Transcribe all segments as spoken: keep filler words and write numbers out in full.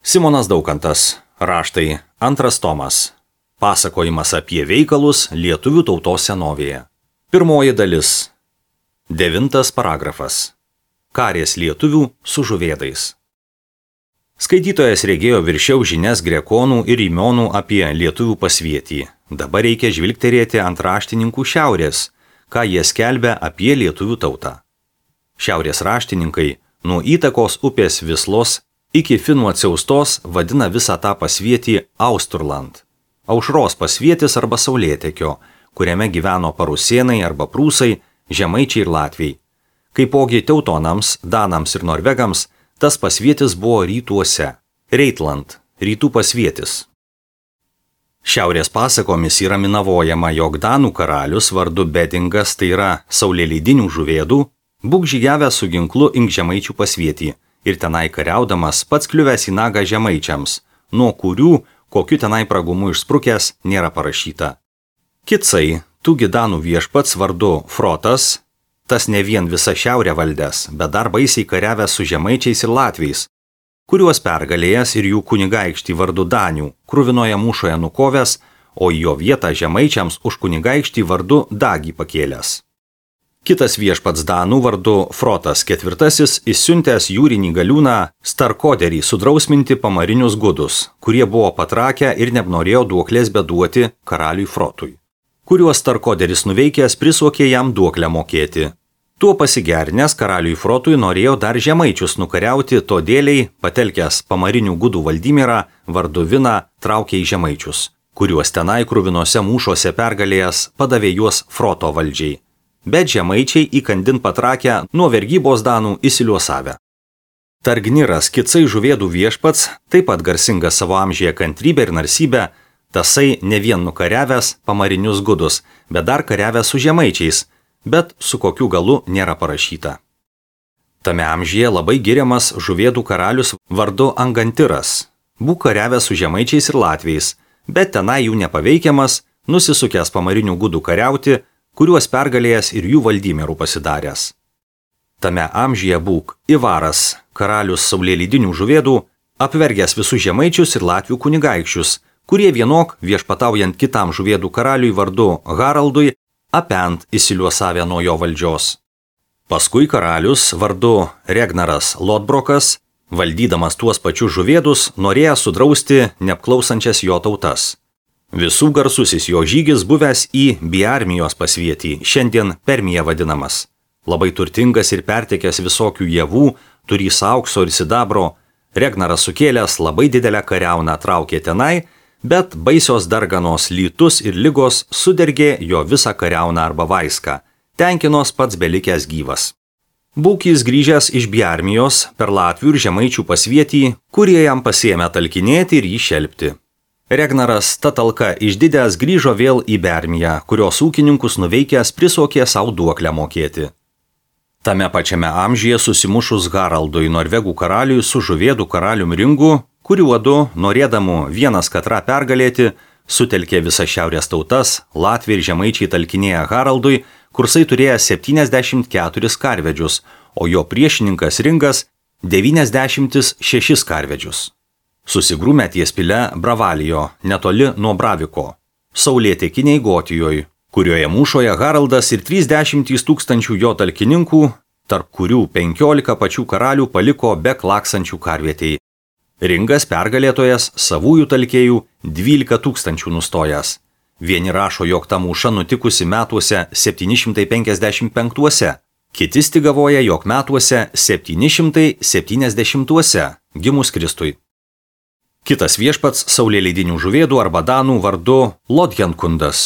Simonas Daukantas. Raštai. Antras tomas. Pasakojimas apie veikalus lietuvių tautos senovėje. Pirmoji dalis. Devintas paragrafas. Karės lietuvių su žuvėdais. Skaitytojas regėjo viršiau žinias grekonų ir įmonų apie lietuvių pasvietį. Dabar reikia žvilgterėti ant raštininkų šiaurės, ką jie skelbia apie lietuvių tautą. Šiaurės raštininkai nuo įtakos upės Vislos iki Finų atsiaustos vadina visą tą pasvietį Austurland, aušros pasvietis arba saulėtekio, kuriame gyveno parusėnai arba prūsai, žemaičiai ir latviai. Kaipogi teutonams, danams ir norvegams tas pasvietis buvo rytuose, Reitland, rytų pasvietis. Šiaurės pasakomis yra minavojama, jog danų karalius vardu Bedingas, tai yra saulėleidinių žuvėdų, būk žygiavęs su ginklu ink žemaičių pasvietį ir tenai kariaudamas pats kliuvęs į nagą žemaičiams, nuo kurių, kokiu tenai pragumu išsprukęs, nėra parašyta. Kitsai, tugi danų viešpats vardu Frotas, tas ne vien visą šiaurę valdęs, bet dar baisiai kariavęs su žemaičiais ir latviais, kuriuos pergalėjęs ir jų kunigaikštį vardu Danių, kruvinoje mūšoje nukovęs, o į jo vietą žemaičiams už kunigaikštį vardu Dagį pakėlęs. Kitas viešpats danų vardu Frotas ketvirtasis išsiuntęs jūrinį galiūną Starkoderį sudrausminti pamarinius gudus, kurie buvo patrakę ir nenorėjo duoklės beduoti karaliui Frotui, kuriuos Starkoderis nuveikęs prisuokė jam duoklę mokėti. Tuo pasigernęs karaliui Frotui norėjo dar žemaičius nukariauti, todėliai patelkęs pamarinių gudų Valdymirą vardu Viną traukė į žemaičius, kuriuos tenai kruvinose mūšuose pergalėjęs padavė juos Froto valdžiai. Bet žemaičiai įkandin patrakę nuo vergybos danų įsiliuosavę. Targniras Kitsai žuvėdų viešpats, taip pat garsingas savo amžiuje kantrybę ir narsybę, tasai ne vien nukariavęs pamarinius gudus, bet dar kariavęs su žemaičiais, bet su kokiu galu nėra parašyta. Tame amžiuje labai giriamas žuvėdų karalius vardu Angantiras, būk kariavęs su žemaičiais ir latviais, bet tenai jų nepaveikiamas, nusisukęs pamarinių gudų kariauti, kuriuos pergalėjęs ir jų valdymerų pasidaręs. Tame amžiuje būk Ivaras, karalius saulėleidinių žuvėdų, apvergęs visus žemaičius ir latvių kunigaikščius, kurie vienok viešpataujant kitam žuvėdų karaliui vardu Haraldui, apent įsiliuosavę nuo jo valdžios. Paskui karalius vardu Regnaras Lodbrokas, valdydamas tuos pačius žuvėdus, norėjo sudrausti neapklausančias jo tautas. Visų garsusis jo žygis buvęs į Biarmijos pasvietį, šiandien Permija vadinamas. Labai turtingas ir pertekęs visokių javų, turys aukso ir sidabro, Regnaras sukėlęs labai didelę kariauną traukė tenai, bet baisios darganos lytus ir ligos sudergė jo visą kariauną arba vaiską, tenkinos pats belikęs gyvas. Būk jis grįžęs iš Biarmijos per latvių ir žemaičių pasvietį, kurie jam pasiėmė talkinėti ir jį šelpti. Regnaras ta talka išdidęs grįžo vėl į Biarmiją, kurios ūkininkus nuveikęs prisuokė savo duoklę mokėti. Tame pačiame amžiuje susimušus Haraldui norvegų karaliui su žuvėdų karalium Ringu, kuriuodu, norėdamų vienas katrą pergalėti, sutelkė visas šiaurės tautas, latviai ir žemaičiai talkinėję Haraldui, kursai turėjo septyniasdešimt keturis karvedžius, o jo priešininkas Ringas devyniasdešimt šešis karvedžius. Susigrūmė ties pile Bravalijo, netoli nuo Braviko, saulėtekiniai Gotijoj, kurioje mūšoje Haraldas ir trisdešimt tūkstančių jo talkininkų, tarp kurių penkiolika pačių karalių paliko be klaksančių karvietei. Ringas pergalėtojas savųjų talkėjų dvylika tūkstančių nustojęs. Vieni rašo, jog ta mūša nutikusi metuose septyni šimtai penkiasdešimt penktuose, kiti stigavoja, jog metuose septyni šimtai septyniasdešimtuose, gimus Kristui. Kitas viešpats saulėleidinių žuvėdų arba danų vardu Lodjankundas.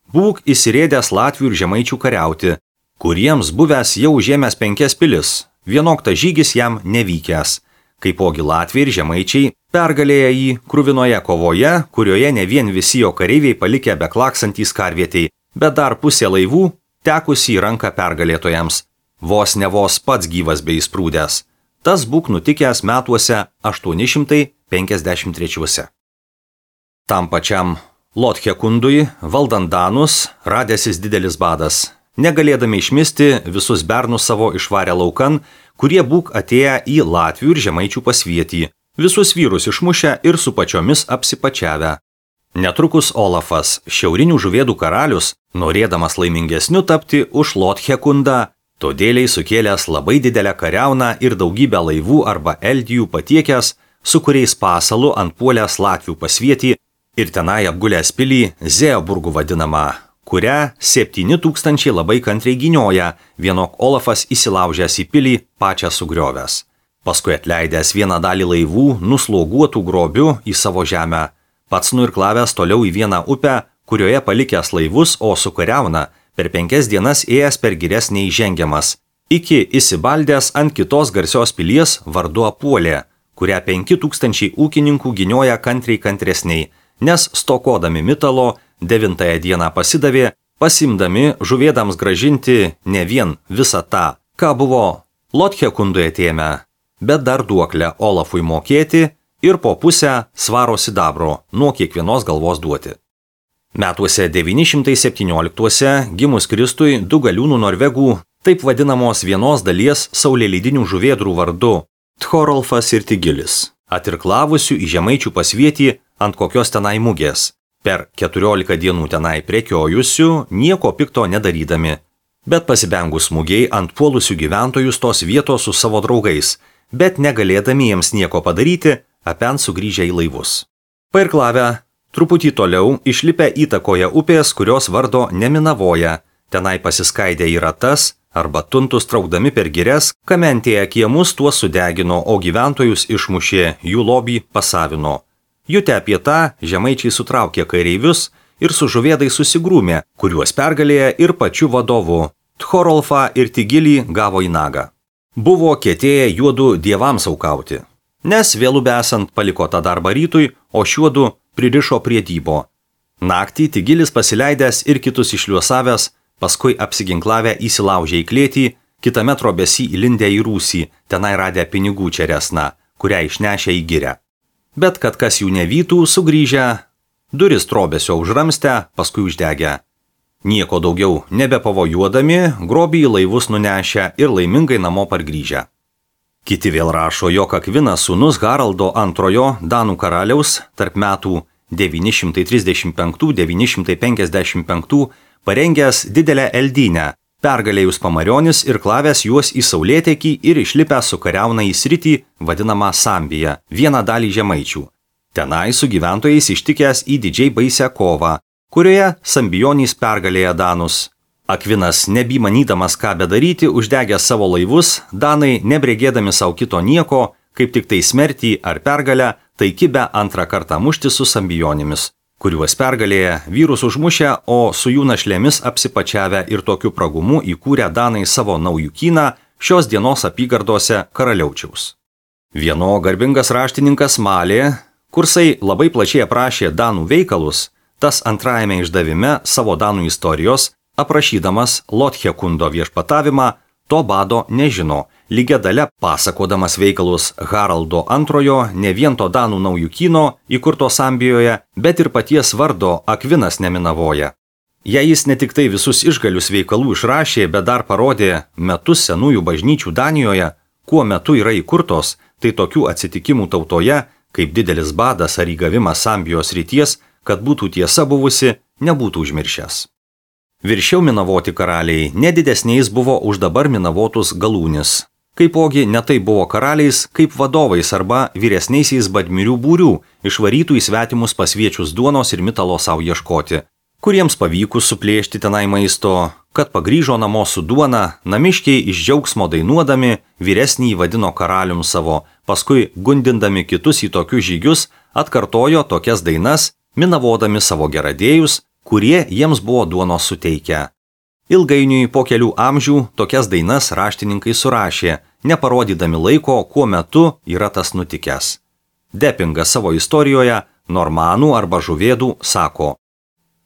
Būk įsirėdęs latvių ir žemaičių kariauti, kuriems buvęs jau užėmęs penkias pilis, vienok ta žygis jam nevykęs, kaipogi latviai ir žemaičiai pergalėję jį kruvinoje kovoje, kurioje ne vien visi jo kareiviai palikę beklaksantys karvietei, bet dar pusė laivų tekusi į ranką pergalėtojams, vos ne vos pats gyvas bei įsprūdęs. Tas būk nutikęs metuose aštuoni šimtai penkiasdešimt trečiuose. Tam pačiam Lodhekundui, valdant danus, radęsis didelis badas. Negalėdami išmisti, visus bernus savo išvarė laukan, kurie būk atėję į latvių ir žemaičių pasvietį, visus vyrus išmušę ir su pačiomis apsipačiavę. Netrukus Olafas, šiaurinių žuvėdų karalius, norėdamas laimingesniu tapti už Lotchekundą, todėliai sukėlęs labai didelę kariauną ir daugybę laivų arba eldijų patiekęs, su kuriais pasalu antpuolęs Latvių pasvietį ir tenai apgulęs pilį Zeoburgų vadinamą, kurią septyni tūkstančiai labai kantriai gynioja, vienok Olafas įsilaužęs į pilį pačią sugriovęs. Paskui atleidęs vieną dalį laivų, nusloguotų grobių į savo žemę, pats nuirklavęs toliau į vieną upę, kurioje palikęs laivus, o sukariauna, per penkias dienas ėjęs per girias neįžengiamas, iki įsibaldęs ant kitos garsios pilies vardu Apuolė, kurią penki tūkstančiai ūkininkų gynioja kantriai kantresniai, nes stokodami mitalo devintąją dieną pasidavė, pasimdami žuvėdams gražinti ne vien visą tą, ką buvo Lothekundui atėmę, bet dar duoklę Olafui mokėti ir po pusę svaro sidabro nuo kiekvienos galvos duoti. Metuose devyni šimtai septynioliktuose gimus Kristui du galiūnų norvegų, taip vadinamos vienos dalies saulėlydinių žuvėdrų vardu Tchorolfas ir Tigilis, atirklavusių į žemaičių pasvietį ant kokios tenai mugės, per keturiolika dienų tenai prekiojusių, nieko pikto nedarydami, bet pasibengus mugiai ant puolusių gyventojus tos vietos su savo draugais, bet negalėdami jiems nieko padaryti, apen sugrįžę į laivus. Pairklavę, truputį toliau išlipę įtakoje upės, kurios vardo Neminavoja, tenai pasiskaidę į ratas arba tuntus traukdami per girias, kamentėje kiemus tuos sudegino, o gyventojus išmušė, jų lobį pasavino. Jutę apie tą, žemaičiai sutraukė kareivius ir su žuvėdai susigrūmė, kuriuos pergalėję ir pačiu vadovu. Tchorolfą ir Tigilį gavo į nagą. Buvo kietėję juodu dievams aukauti, nes vėlų besant paliko tą darbą rytui, o šiuodu pririšo prie dybo. Naktį Tigilis pasileidęs ir kitus išliuosavęs, paskui apsiginklavę įsilaužė į klėtį, kitame trobesį įlindę į rūsį, tenai radę pinigų čeresną, kurią išnešė į girę. Bet kad kas jų nevytų, sugrįžę, duris trobesio užramstę, paskui uždegę. Nieko daugiau nebepavojuodami, grobį į laivus nunešę ir laimingai namo pargrįžę. Kiti vėl rašo, jog Akvinas sūnus Haraldo antrojo Danų karaliaus tarp metų devyni šimtai trisdešimt penkti - devyni šimtai penkiasdešimt penkti parengęs didelę eldynę, pergalėjus pamarionis ir klavęs juos į saulėtekį ir išlipęs su kariauna į sritį, vadinamą Sambiją, vieną dalį žemaičių. Tenai su gyventojais ištikęs į didžiai baisią kovą, kurioje Sambijonys pergalėja Danus. Akvinas, nebymanydamas ką bedaryti, uždegęs savo laivus, Danai, nebregėdami savo kito nieko, kaip tik tai smertį ar pergalę, tai kibę antrą kartą mušti su Sambijonimis, kuriuos pergalėję vyrus užmušę, o su jų našlėmis apsipačiavę ir tokiu pragumu įkūrę Danai savo naujukyną šios dienos apygardose Karaliaučiaus. Vieno garbingas raštininkas Malė, kursai labai plačiai aprašė Danų veikalus, tas antrajame išdavime savo Danų istorijos, aprašydamas Lothekundo viešpatavimą, to bado nežino, lygia dalia pasakodamas veikalus Haraldo antrojo, ne vien to Danų naujukyno įkurto Sambijoje, bet ir paties vardo Akvinas Neminavoja. Jei jis ne tik tai visus išgalius veikalų išrašė, bet dar parodė metus senųjų bažnyčių Danijoje, kuo metu yra įkurtos, tai tokių atsitikimų tautoje, kaip didelis badas ar įgavimas Sambijos ryties, kad būtų tiesa buvusi, nebūtų užmiršęs. Viršiau minavoti karaliai nedidesniais buvo už dabar minavotus galūnis. Kaipogi netai buvo karaliais, kaip vadovais arba vyresniaisiais badmirių būrių, išvarytų į svetimus pasviečius duonos ir mitalo savo ieškoti, kuriems pavykus suplėšti tenai maisto, kad pagrįžo namo su duona, namiškiai iš džiaugsmo dainuodami vyresnį vadino karalium savo, paskui gundindami kitus į tokius žygius, atkartojo tokias dainas, minavodami savo geradėjus, kurie jiems buvo duonos suteikę. Ilgainiui po kelių amžių tokias dainas raštininkai surašė, neparodydami laiko, kuo metu yra tas nutikęs. Depingas savo istorijoje normanų arba žuvėdų sako: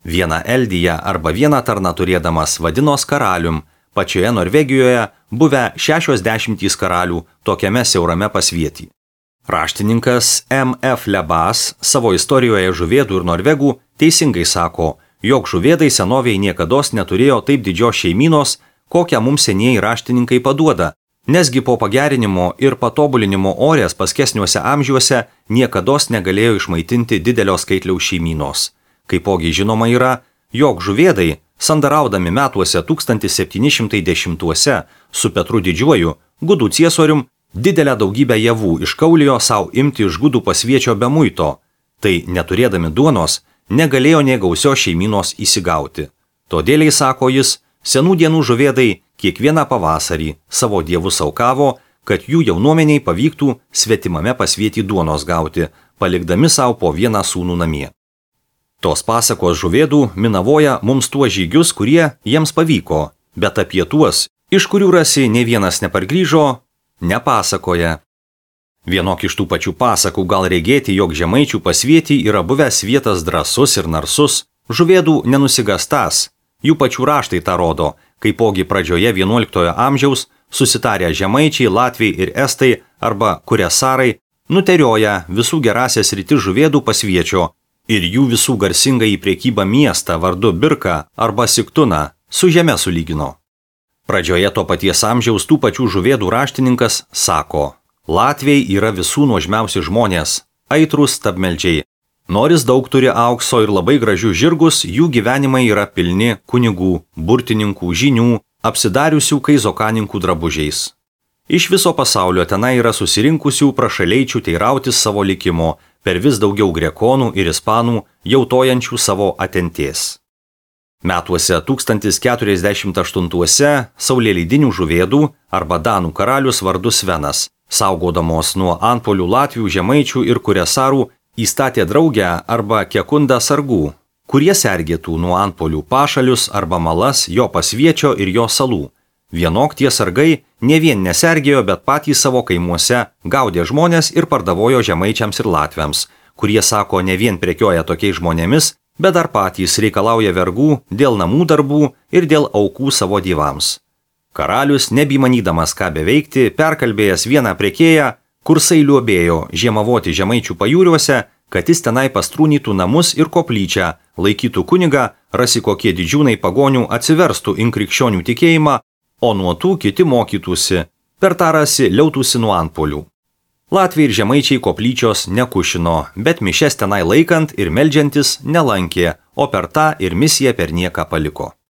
vieną eldiją arba vieną tarną turėdamas vadinos karalium, pačioje Norvegijoje buvę šešios dešimtys karalių tokiame siaurame pasvietį. Raštininkas M F Lebas savo istorijoje žuvėdų ir norvegų teisingai sako, jog žuvėdai senovėje niekados neturėjo taip didžios šeimynos, kokią mums senieji raštininkai paduoda, Nesgi po pagerinimo ir patobulinimo orės paskesniuose amžiuose niekados negalėjo išmaitinti didelio skaitliaus šeimynos. Kaipogi žinoma yra, jog žuvėdai, sandaraudami metuose tūkstantis septyni šimtai dešimtuose su Petru Didžiuoju, gudų ciesorium, didelę daugybę javų iškaulijo savo imti iš gudų pasviečio be muito, tai neturėdami duonos, negalėjo nė gausios šeimynos įsigauti. Todėliai, sako jis, senų dienų žuvėdai kiekvieną pavasarį savo dievus aukavo, kad jų jaunuomeniai pavyktų svetimame pasvietį duonos gauti, palikdami savo po vieną sūnų namie. Tos pasakos žuvėdų minavoja mums tuos žygius, kurie jiems pavyko, bet apie tuos, iš kurių rasi ne vienas nepargrįžo, nepasakoja. Vienok iš tų pačių pasakų gal regėti, jog žemaičių pasvietį yra buvęs vietas drąsus ir narsus, žuvėdų nenusigastas. Jų pačių raštai tą rodo, kaipogi pradžioje vienuoliktojo amžiaus susitarę žemaičiai, latviai ir estai arba kuresarai nuterioja visų gerasias rytis žuvėdų pasviečio ir jų visų garsingą į priekybą miestą vardu Birką arba Siktuną su žeme sulygino. Pradžioje to paties amžiaus tų pačių žuvėdų raštininkas sako: Latviai yra visų nuožmiausi žmonės, aitrūs stabmeldžiai. Noris daug turi aukso ir labai gražių žirgus, jų gyvenimai yra pilni kunigų, burtininkų, žinių, apsidariusių kaizokaninkų drabužiais. Iš viso pasaulio tenai yra susirinkusių prašaleičių teirautis savo likimo, per vis daugiau grekonų ir ispanų, jautojančių savo atentės. Metuose tūkstantis keturiasdešimt aštuntuose saulėlydinių žuvėdų arba danų karalius vardu Svenas, saugodamos nuo antpolių latvių, žemaičių ir kuresarų, įstatė draugę arba kekundą sargų, kurie sergėtų nuo antpolių pašalius arba malas jo pasviečio ir jo salų. Vienok tie sargai ne vien nesergėjo, bet patys savo kaimuose gaudė žmonės ir pardavojo žemaičiams ir latviams, kurie, sako, ne vien prekioja tokiais žmonėmis, bet dar patys reikalauja vergų dėl namų darbų ir dėl aukų savo dievams. Karalius, nebymanydamas ką beveikti, perkalbėjęs vieną prekėją, kursai liuobėjo žiemavoti žemaičių pajūriuose, kad jis tenai pastrūnytų namus ir koplyčią, laikytų kunigą, rasi kokie didžiūnai pagonių atsiverstų in krikščionių tikėjimą, o nuo tų kiti mokytųsi, per tą rasi liautųsi nuo antpolių. Latviai ir žemaičiai koplyčios nekušino, bet mišes tenai laikant ir meldžiantis nelankė, o per tą ir misiją per nieką paliko.